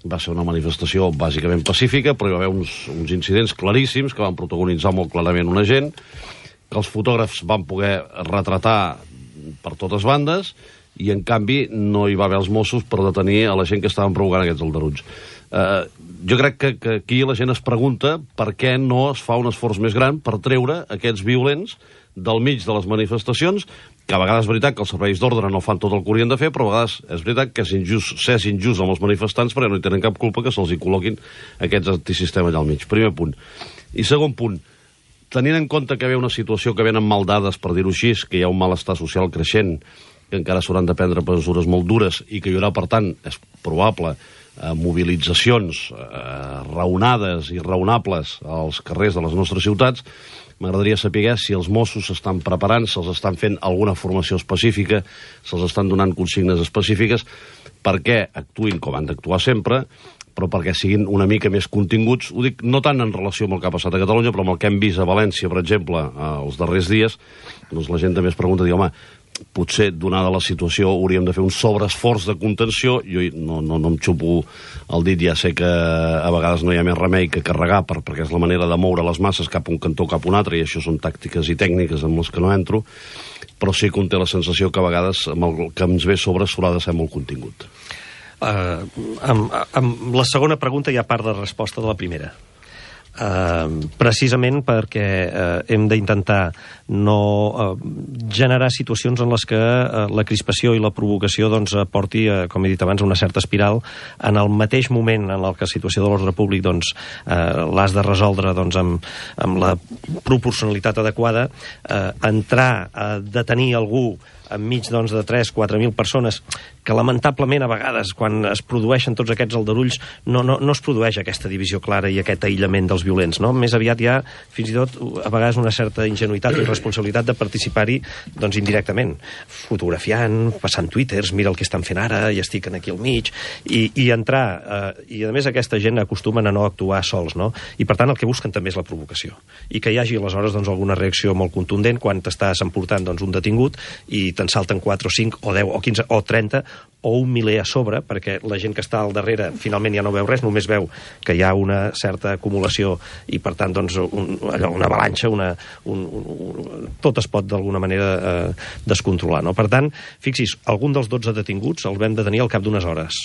va ser una manifestació bàsicament pacífica, però hi va haver uns, uns incidents claríssims que van protagonitzar molt clarament una gent, que els fotògrafs van poder retratar per totes bandes, i en canvi no hi va haver els Mossos per detenir a la gent que estaven provocant aquests aldarulls. Eh, jo crec que, que aquí la gent es pregunta per què no es fa un esforç més gran per treure aquests violents del mig de les manifestacions, que a vegades és veritat que els serveis d'ordre no fan tot el que haurien de fer, però a vegades és veritat que és injust, s'és injust amb els manifestants perquè no hi tenen cap culpa que se'ls hi col·loquin aquests antisistemes allà al mig. Primer punt. I segon punt, tenint en compte que hi ha una situació que venen mal dades, per dir-ho així, que hi ha un malestar social creixent, que encara s'hauran de prendre mesures molt dures i que hi haurà, per tant, és probable, eh, mobilitzacions eh, raonades i raonables als carrers de les nostres ciutats, m'agradaria saber si els Mossos s'estan preparant, se'ls estan fent alguna formació específica, se'ls estan donant consignes específiques, perquè actuïn com han d'actuar sempre, però perquè siguin una mica més continguts. Ho dic no tant en relació amb el que ha passat a Catalunya, però amb el que hem vist a València, per exemple, els darrers dies, doncs la gent també es pregunta, diu, home, potser, donada la situació, hauríem de fer un sobreesforç de contenció. Jo no, no, no em xupo el dit, ja sé que a vegades no hi ha més remei que carregar, per, perquè és la manera de moure les masses cap a un cantó cap a un altre, i això són tàctiques i tècniques amb les que no entro, però sí que un té la sensació que a vegades amb el que ens ve sobre s'haurà de ser molt contingut. Uh, amb, amb la segona pregunta hi ha part de resposta de la primera. Uh, precisament perquè uh, hem d'intentar no uh, generar situacions en les que uh, la crispació i la provocació doncs, porti, uh, com he dit abans, a una certa espiral. En el mateix moment en el que la situació de l'ordre públic doncs, uh, l'has de resoldre doncs, amb, amb la proporcionalitat adequada, uh, entrar a detenir algú enmig doncs, de tres a quatre mil persones, que lamentablement a vegades, quan es produeixen tots aquests aldarulls, no, no, no es produeix aquesta divisió clara i aquest aïllament dels violents. No? Més aviat hi ha, fins i tot, a vegades una certa ingenuïtat i responsabilitat de participar-hi doncs, indirectament, fotografiant, passant twitters, mira el que estan fent ara, i estic aquí al mig, i, i entrar, eh, i a més aquesta gent acostumen a no actuar sols, no? I per tant el que busquen també és la provocació, i que hi hagi aleshores doncs, alguna reacció molt contundent quan t'estàs emportant doncs, un detingut i te'n salten quatre o cinc o deu o quinze o trenta o un miler a sobre, perquè la gent que està al darrere finalment ja no veu res, només veu que hi ha una certa acumulació i per tant doncs, un, allò, una avalanxa, una, un, un, tot es pot d'alguna manera eh, descontrolar. No? Per tant, fixis, algun dels dotze detinguts els vam detenir al cap d'unes hores.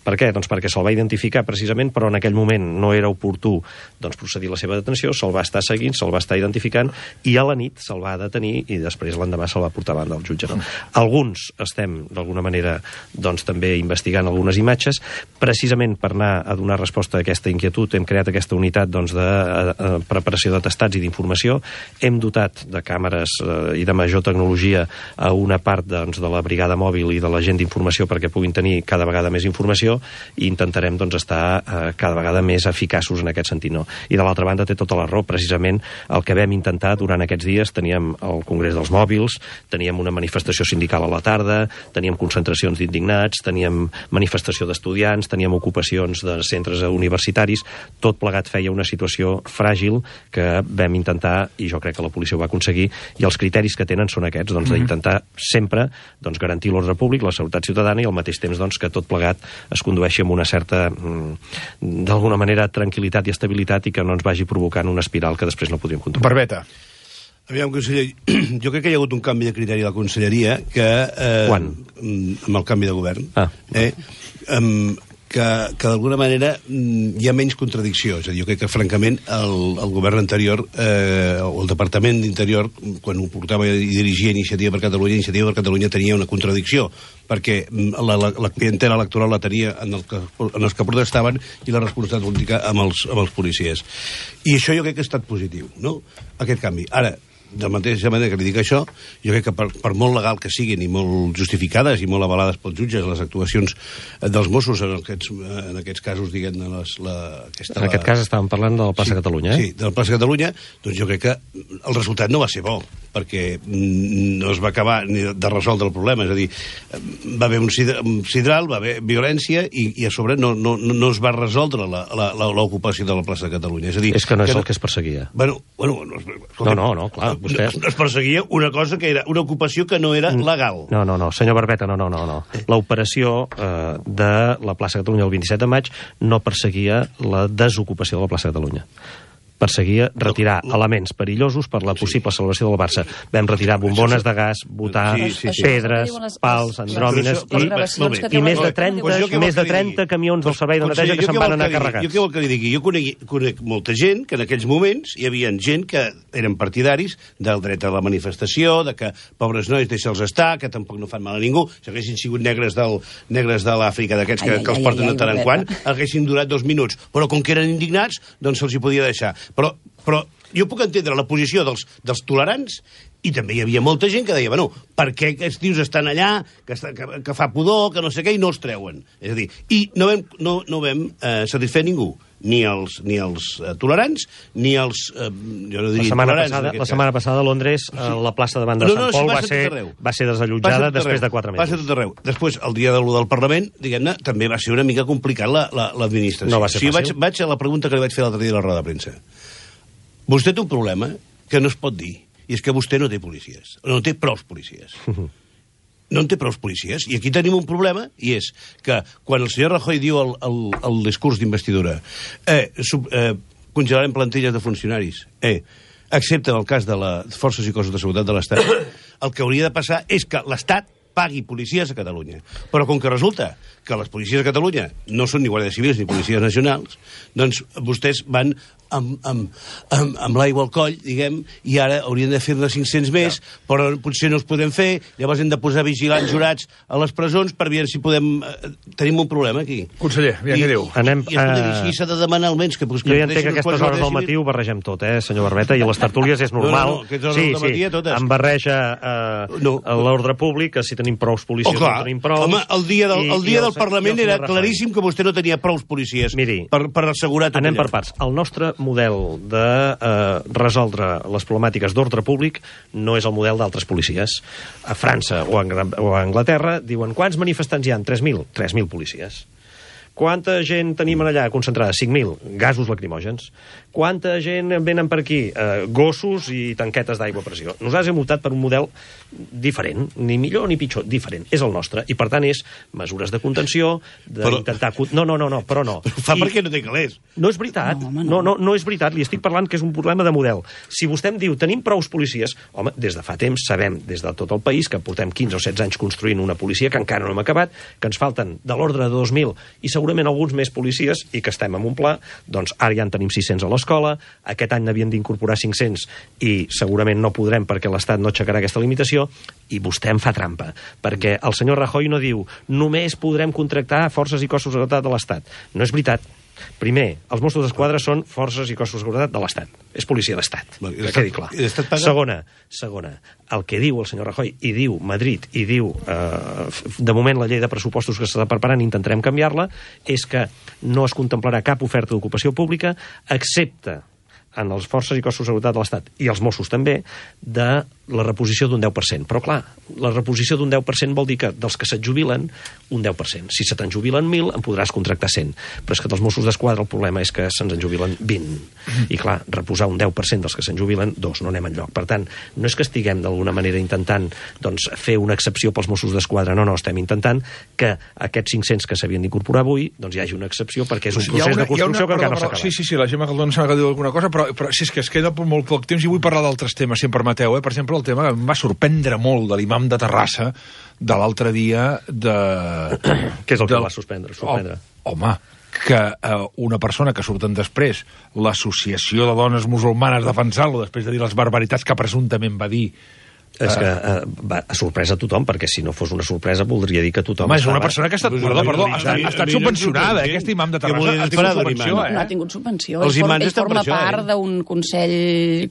Per què? Doncs perquè se'l va identificar precisament, però en aquell moment no era oportú doncs, procedir la seva detenció, se'l va estar seguint, se'l va estar identificant, i a la nit se'l va detenir i després l'endemà se'l va portar davant del jutge. No? Alguns estem, d'alguna manera, doncs, també investigant algunes imatges. Precisament per anar a donar resposta a aquesta inquietud hem creat aquesta unitat doncs, de eh, preparació d'atestats i d'informació. Hem dotat de càmeres eh, i de major tecnologia a una part doncs, de la brigada mòbil i de la gent d'informació perquè puguin tenir cada vegada més informació, i intentarem doncs, estar eh, cada vegada més eficaços en aquest sentit. No? I de l'altra banda té tota la raó, precisament el que vam intentar durant aquests dies, teníem el Congrés dels Mòbils, teníem una manifestació sindical a la tarda, teníem concentracions d'indignats, teníem manifestació d'estudiants, teníem ocupacions de centres universitaris, tot plegat feia una situació fràgil que vam intentar, i jo crec que la policia ho va aconseguir, i els criteris que tenen són aquests, doncs, d'intentar sempre doncs, garantir l'ordre públic, la seguretat ciutadana i al mateix temps doncs, que tot plegat es condueixi amb una certa, d'alguna manera, tranquil·litat i estabilitat i que no ens vagi provocant una espiral que després no podríem controlar. Barbeta. Aviam, conseller, jo crec que hi ha hagut un canvi de criteri a la conselleria que... Eh, Quan? Amb el canvi de govern. Ah. Eh, um, que, que d'alguna manera hi ha menys contradicció. És a dir, jo crec que, francament, el, el govern anterior, eh, o el Departament d'Interior, quan ho portava i dirigia Iniciativa per Catalunya, Iniciativa per Catalunya tenia una contradicció, perquè la, la, la clientela electoral la tenia en, el que, en els que protestaven i la responsabilitat política amb els, amb els policies. I això jo crec que ha estat positiu, no?, aquest canvi. Ara, de la mateixa manera que li dic això, jo crec que per, per molt legal que siguin i molt justificades i molt avalades pels jutges les actuacions dels Mossos en aquests, en aquests casos, diguem-ne, les, la, aquesta, en aquest la... cas estàvem parlant del Plaça sí, Catalunya, eh? Sí, del Plaça Catalunya, doncs jo crec que el resultat no va ser bo, perquè no es va acabar ni de resoldre el problema. És a dir, va haver un sidral, va haver violència i, i a sobre no, no, no es va resoldre l'ocupació de la plaça de Catalunya. És a dir, és que no és que el que es perseguia. Bueno, bueno, no, no, no, no, clar, vostès... Es perseguia una cosa que era una ocupació que no era legal. No, no, no, senyor Barbeta, no, no, no. no. L'operació eh, de la plaça de Catalunya el vint-i-set de maig no perseguia la desocupació de la plaça de Catalunya. Perseguia retirar no, no. elements perillosos per la possible celebració del Barça. Vam retirar bombones de gas, botar, sí, sí, sí. pedres, les, pals, andròmines i, i més de trenta, pues més de trenta camions del servei de neteja que se'n van anar carregats. Jo què vol que li digui? Jo conec, conec molta gent que en aquells moments hi havia gent que eren partidaris del dret a la manifestació, de que pobres nois deixa'ls estar, que tampoc no fan mal a ningú, si haguessin sigut negres del negres de l'Àfrica, d'aquests que, que els porten de tant en quant, haguessin durat dos minuts. Però com que eren indignats, doncs se'ls hi podia deixar. Però, però jo puc entendre la posició dels, dels tolerants i també hi havia molta gent que deia, bueno, per què aquests tios estan allà, que, està, que, que fa pudor, que no sé què, i no els treuen. És a dir, i no vam, no, no vam eh, satisfer ningú, ni els, ni els eh, tolerants, ni els... Eh, jo no diria la setmana tolerants. Passada, la setmana passada a Londres, sí. la plaça davant de no, no, Sant Pol va, ser, va ser desallotjada després de quatre mesos. Passa tot arreu. Després, el dia de l'u del Parlament, diguem-ne, també va ser una mica complicat l'administració. La, la, no va ser fàcil. O sigui, vaig, vaig a la pregunta que li vaig fer l'altre dia a la roda de premsa. Vostè té un problema que no es pot dir, i és que vostè no té policies, no té prous policies. No en té prous policies. I aquí tenim un problema, i és que quan el senyor Rajoy diu el, el, el discurs d'investidura eh, sub, eh, congelarem plantilles de funcionaris, eh, excepte en el cas de les forces i cossos de seguretat de l'Estat, el que hauria de passar és que l'Estat pagui policies a Catalunya. Però com que resulta que les policies a Catalunya no són ni guàrdies civils ni policies nacionals, doncs vostès van amb, amb, amb, amb l'aigua al coll, diguem, i ara haurien de fer-ne cinc-cents més, ja. Però potser no els podem fer, llavors hem de posar vigilants jurats a les presons per veure si podem... Eh, tenim un problema aquí. Conseller, ja què diu? Anem, I, uh... i s'ha de demanar almenys que... Pues, que jo ja entenc que aquestes hores del matí ho barregem tot, eh, senyor Barbeta, i les tertúlies és normal. No, no, no, sí, sí, matí, totes. Em barreja uh, no. l'ordre públic, que si tenim prous policies oh, no tenim prous... Home, el dia del, el dia del Parlament era claríssim que vostè no tenia prous policies. Miri, per, per assegurar tot anem allò. Per parts. El nostre model de eh, resoldre les problemàtiques d'ordre públic no és el model d'altres policies. A França o a, o a Anglaterra diuen quants manifestants hi ha? tres mil. tres mil policies. Quanta gent tenim allà concentrada? cinc mil. Gasos lacrimògens. Quanta gent venen per aquí? Eh, gossos i tanquetes d'aigua a pressió. Nosaltres hem optat per un model diferent, ni millor ni pitjor, diferent. És el nostre. I per tant és mesures de contenció, d'intentar... Però... No, no, no, no, però no. Però fa I... perquè no té calés. No és veritat. No, home, no. No, no, no és veritat. Li estic parlant que és un problema de model. Si vostè em diu, tenim prous policies, home, des de fa temps sabem, des de tot el país, que portem quinze o setze anys construint una policia, que encara no hem acabat, que ens falten de l'ordre de dos mil i segurament alguns més policies i que estem en un pla, doncs ara ja en tenim sis-cents a l'escola, aquest any n'havien d'incorporar cinc-cents i segurament no podrem perquè l'Estat no aixecarà aquesta limitació i vostè em fa trampa, perquè el senyor Rajoy no diu només podrem contractar forces i cossos de seguretat de l'Estat. No és veritat. Primer, els Mossos d'Esquadra són forces i cossos de seguretat de l'Estat. És policia d'Estat, que quedi clar. Segona, segona, el que diu el senyor Rajoy, i diu Madrid, i diu, eh, de moment la llei de pressupostos que s'està preparant, intentarem canviar-la, és que no es contemplarà cap oferta d'ocupació pública, excepte en les forces i cossos de seguretat de l'Estat, i els Mossos també, de la reposició d'un deu per cent. Però, clar, la reposició d'un deu per cent vol dir que dels que se't jubilen, un deu per cent. Si se te'n jubilen mil, en podràs contractar cent. Però és que dels Mossos d'Esquadra el problema és que se'ns en jubilen vint. I, clar, reposar un deu per cent dels que se'n jubilen, dos, no anem enlloc. Per tant, no és que estiguem d'alguna manera intentant doncs, fer una excepció pels Mossos d'Esquadra, no, no, estem intentant que aquests cinc-cents que s'havien d'incorporar avui, doncs hi hagi una excepció perquè és un procés una, de construcció una, que encara no s'ha acabat. Sí, sí, sí, la Gemma Caldón s'ha de dir alguna cosa, però, però si és que es queda molt poc temps i vull parlar d'altres temes, si em permeteu, eh? Per exemple, el tema que em va sorprendre molt de l'imam de Terrassa de l'altre dia de... Què és el que del... va suspendre? suspendre? Oh, home, que eh, una persona que surten després, l'Associació de Dones Musulmanes defensant-lo després de dir les barbaritats que presumptament va dir. És que eh, va a sorpresa a tothom, perquè si no fos una sorpresa voldria dir que tothom... Home, és una persona que ha estat, perdó, perdó, ha estat, ha estat subvencionada, eh, aquest imam de Terrassa ha tingut subvenció, eh? No ha tingut subvenció, ell forma, ell forma part d'un consell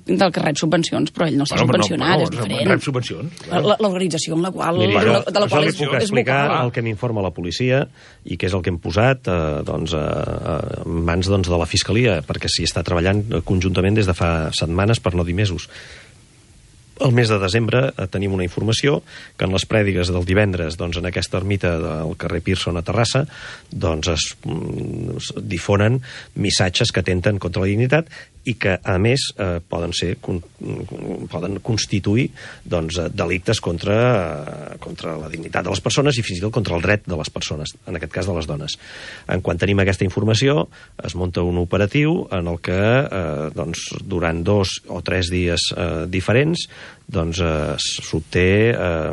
del que rep subvencions, però ell no s'ha subvencionat, és diferent. Rep subvencions. L'organització en la qual... Miri, jo, de la qual és, puc explicar el que m'informa la policia i que és el que hem posat eh, doncs, eh, en mans doncs, de la Fiscalia, perquè s'hi està treballant conjuntament des de fa setmanes, per no dir mesos. El mes de desembre eh, tenim una informació que en les prèdigues del divendres, doncs, en aquesta ermita del carrer Pearson a Terrassa, doncs es, es difonen missatges que atenten contra la dignitat i que, a més, eh, poden ser con, poden constituir doncs, delictes contra, eh, contra la dignitat de les persones i fins i tot contra el dret de les persones, en aquest cas de les dones. En quan tenim aquesta informació, es munta un operatiu en el que eh, doncs, durant dos o tres dies eh, diferents doncs, eh, s'obté eh,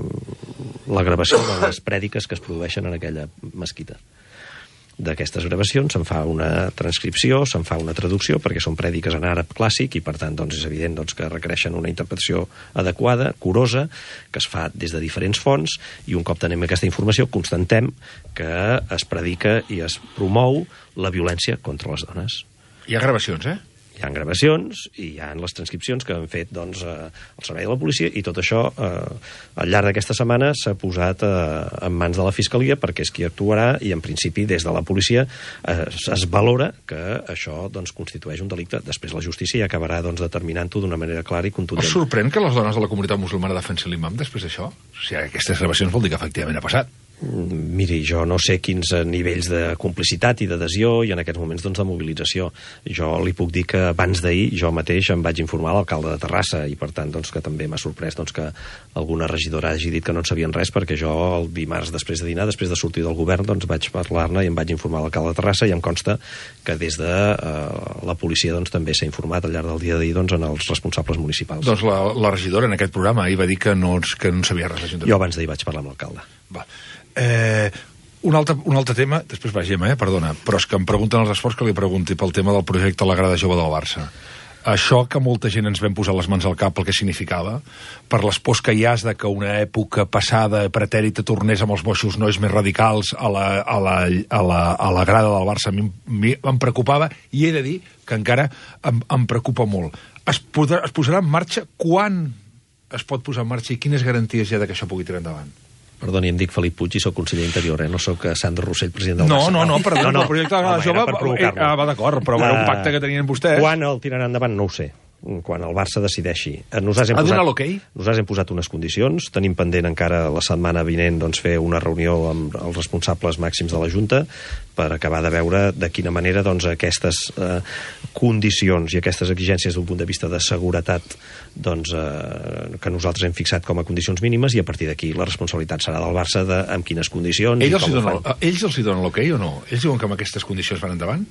la gravació de les prèdiques que es produeixen en aquella mesquita. D'aquestes gravacions se'n fa una transcripció, se'n fa una traducció, perquè són prèdiques en àrab clàssic i, per tant, doncs, és evident doncs, que requereixen una interpretació adequada, curosa, que es fa des de diferents fonts, i un cop tenim aquesta informació, constantem que es predica i es promou la violència contra les dones. Hi ha gravacions, eh? Hi ha gravacions i hi ha les transcripcions que han fet doncs, eh, el servei de la policia, i tot això eh, al llarg d'aquesta setmana s'ha posat eh, en mans de la Fiscalia perquè és qui actuarà, i en principi des de la policia eh, es valora que això doncs, constitueix un delicte. Després la justícia ja acabarà doncs, determinant-ho d'una manera clara i contundent. Us sorprèn que les dones de la comunitat musulmana defensin l'imam després d'això? O sigui, aquestes gravacions vol dir que efectivament ha passat. Miri, jo no sé quins nivells de complicitat i d'adhesió i en aquests moments doncs, de mobilització. Jo li puc dir que abans d'ahir jo mateix em vaig informar a l'alcalde de Terrassa i per tant doncs, que també m'ha sorprès doncs, que alguna regidora hagi dit que no en sabien res, perquè jo el dimarts després de dinar, després de sortir del govern, doncs vaig parlar-ne i em vaig informar a l'alcalde de Terrassa, i em consta que des de eh, la policia doncs, també s'ha informat al llarg del dia d'ahir doncs, en els responsables municipals. Doncs la, la regidora en aquest programa ahir va dir que no, que no sabia res l'Ajuntament. Jo abans d'ahir vaig parlar amb l'alcalde. Va. Eh, un, altre, un altre tema, després va Gemma, eh, perdona, però és que em pregunten els esports que li pregunti pel tema del projecte La Grada Jove del Barça. Això que molta gent ens vam posar les mans al cap el que significava, per les pors que hi has de que una època passada pretèrita tornés amb els boixos nois més radicals a la, a la, a la, a la grada del Barça, a mi, mi em preocupava, i he de dir que encara em, em preocupa molt. Es, podrà, es posarà en marxa? Quan es pot posar en marxa i quines garanties hi ha de que això pugui tirar endavant? Perdoni, em dic Felip Puig i soc conseller d'Interior, eh? No soc Sandro Rossell, president del no, Barça. No, no, perdó, no, no. El projecte de la Grada Jove eh, ah, va d'acord, però era un pacte que tenien vostès. Quan el tiraran endavant, no ho sé. Quan el Barça decideixi. Nosaltres hem, ha posat, okay? nosaltres hem posat unes condicions, tenim pendent encara la setmana vinent doncs, fer una reunió amb els responsables màxims de la Junta per acabar de veure de quina manera doncs, aquestes eh, condicions i aquestes exigències d'un punt de vista de seguretat doncs, eh, que nosaltres hem fixat com a condicions mínimes, i a partir d'aquí la responsabilitat serà del Barça de amb quines condicions ells i com ho donen, fan. Ells els hi donen l'ok o no? Ells diuen que amb aquestes condicions van endavant?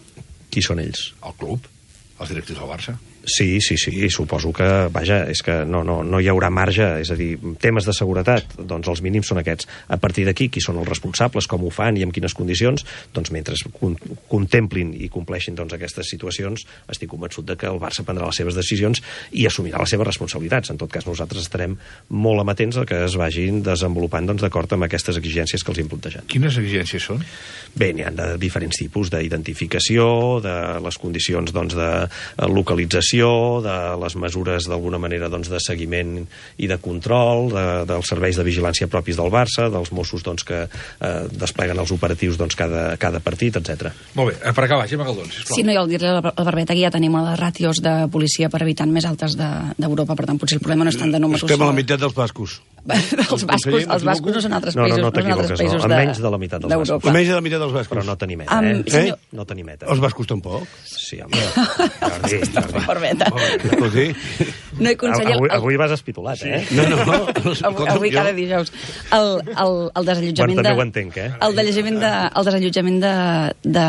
Qui són ells? El club, els directius del Barça. Sí, sí, sí, suposo que, vaja, és que no, no, no hi haurà marge, és a dir, temes de seguretat, doncs els mínims són aquests. A partir d'aquí, qui són els responsables, com ho fan i en quines condicions, doncs mentre con contemplin i compleixin doncs, aquestes situacions, estic convençut de que el Barça prendrà les seves decisions i assumirà les seves responsabilitats. En tot cas, nosaltres estarem molt amatents a que es vagin desenvolupant doncs, d'acord amb aquestes exigències que els hem plantejat. Quines exigències són? Bé, n'hi ha de diferents tipus, d'identificació, de les condicions doncs, de localització, de les mesures d'alguna manera doncs, de seguiment i de control, de, dels serveis de vigilància propis del Barça, dels Mossos doncs, que eh, despleguen els operatius doncs, cada, cada partit, etcètera. Molt bé, per acabar, Gemma Galdón, sisplau. Sí, no, i al dir-li a la Barbeta que ja tenim les ràtios de policia per habitant més altes d'Europa, de, per tant potser el problema no és tant de números. Estem a la meitat dels bascos. els bascos, els bascos no són altres països, no, no, no són altres països no. Menys de la meitat dels bascos. Menys de la meitat dels bascos. Però no tenim meta, um, eh? Senyor... eh? No tenim meta. Els bascos tampoc? Sí, home. Jordi, Jordi. Barbeta. No, i conseller... Avui, avui vas espitulat, eh? No, no, no. Avui, avui cada dijous. El, el, el desallotjament bueno, de... també ho entenc, eh? El desallotjament de, el desallotjament de, de,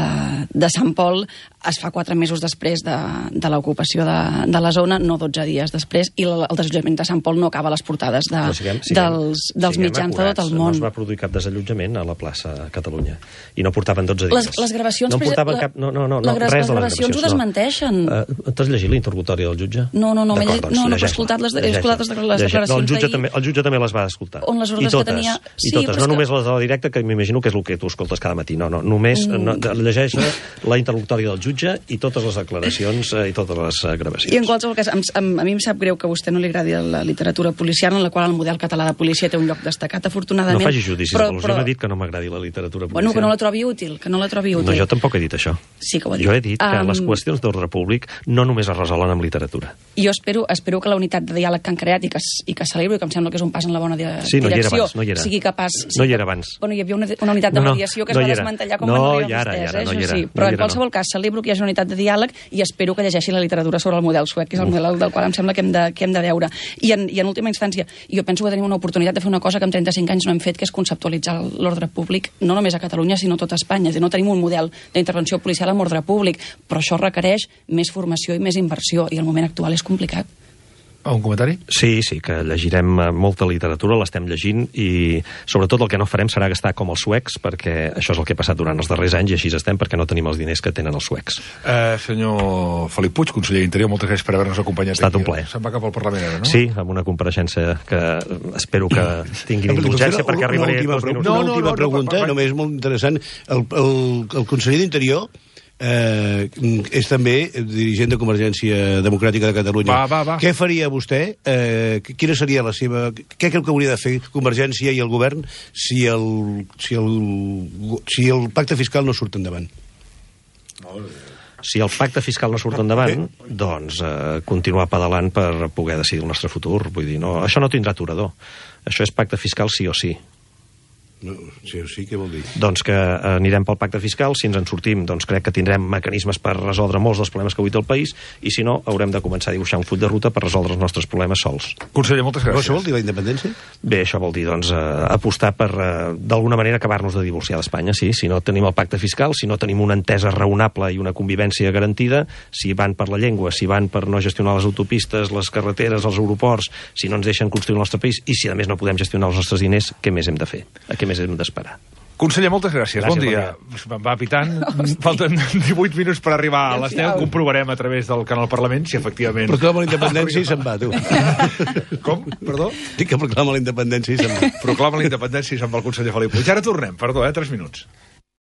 de Sant Pol es fa quatre mesos després de, de l'ocupació de, de la zona, no dotze dies després, i el, el desallotjament de Sant Pol no acaba a les portades de, siguem, siguem, dels, dels mitjans de tot el món. No es va produir cap desallotjament a la plaça Catalunya, i no portaven dotze dies. Les, les gravacions... No portaven la, cap... No, no, no, la, res les de les gravacions ho desmenteixen. No. Uh, T'has llegit l'interrogatori del jutge? No, no, no, doncs, no, no, he escoltat les, he escoltat les, les declaracions no, el, jutge també, el jutge també les va escoltar. On les ordres I totes, que tenia... I totes, sí, no només que... les de la directa, que m'imagino que és el que tu escoltes cada matí, no, no, només mm. no, llegeix la interlocutòria del jutge i totes les declaracions i totes les gravacions. I en qualsevol cas, a mi em sap greu que a vostè no li agradi la literatura policial, en la qual el model català de policia té un lloc destacat, afortunadament. No faci judicis però, de però... Jo no he dit que no m'agradi la literatura policial. Bueno, que no la trobi útil, que no la trobi útil. No, jo tampoc he dit això. Sí que ho he dit. Jo he dit que um... les qüestions d'ordre públic no només es resolen amb literatura. Jo espero, espero espero que la unitat de diàleg que han creat i que, i que celebro i que em sembla que és un pas en la bona di sí, no direcció, abans, no sigui capaç... Sí, no hi era abans. Bueno, hi havia una, una unitat de no, no, mediació que es no va era. desmantellar com no, van arribar ara, vostès, ara, eh? no Això era, sí. no Però en era, qualsevol no. cas celebro que hi hagi una unitat de diàleg i espero que llegeixi la literatura sobre el model suec, que és el model del qual em sembla que hem de, que hem de veure. I en, I en última instància, jo penso que tenim una oportunitat de fer una cosa que en trenta-cinc anys no hem fet, que és conceptualitzar l'ordre públic, no només a Catalunya, sinó a tot Espanya. És a dir, no tenim un model d'intervenció policial amb ordre públic, però això requereix més formació i més inversió, i el moment actual és complicat. Un comentari? Sí, sí, que llegirem molta literatura, l'estem llegint, i sobretot el que no farem serà gastar com els suecs, perquè això és el que ha passat durant els darrers anys, i així estem, perquè no tenim els diners que tenen els suecs. Eh, senyor Felip Puig, conseller d'Interior, moltes gràcies per haver-nos acompanyat. Ha estat un plaer. Se'n va cap al Parlament ara, no? Sí, amb una compareixença que espero que tinguin indulgència, perquè arribaré una dos minuts. Una última pregunta, només molt interessant. El, el, el conseller d'Interior Eh, és també dirigent de Convergència Democràtica de Catalunya. Va, va, va. Què faria vostè? Eh, quina seria la seva... Què creu que hauria de fer Convergència i el govern si el, si el, si el pacte fiscal no surt endavant? Si el pacte fiscal no surt endavant, doncs eh, continuar pedalant per poder decidir el nostre futur. Vull dir, no, això no tindrà aturador. Això és pacte fiscal sí o sí. No, sí o sí, què vol dir? Doncs que anirem pel pacte fiscal, si ens en sortim, doncs crec que tindrem mecanismes per resoldre molts dels problemes que avui té el país, i si no, haurem de començar a dibuixar un full de ruta per resoldre els nostres problemes sols. Conseller, moltes gràcies. Això vol dir la independència? Bé, això vol dir, doncs, eh, apostar per, eh, d'alguna manera, acabar-nos de divorciar d'Espanya, sí. Si no tenim el pacte fiscal, si no tenim una entesa raonable i una convivència garantida, si van per la llengua, si van per no gestionar les autopistes, les carreteres, els aeroports, si no ens deixen construir el nostre país, i si a més no podem gestionar els nostres diners, què més hem de fer? A què més hem d'esperar? Conseller, moltes gràcies. gràcies bon dia. Bon va pitant. Falten divuit minuts per arribar a les deu. Comprovarem a través del canal Parlament si efectivament... Proclama la independència i se'n va, tu. Com? Perdó? Dic que proclama la independència i se'n va. Proclama la independència i se'n va el conseller Felip Puig. Ara tornem, perdó, eh? Tres minuts.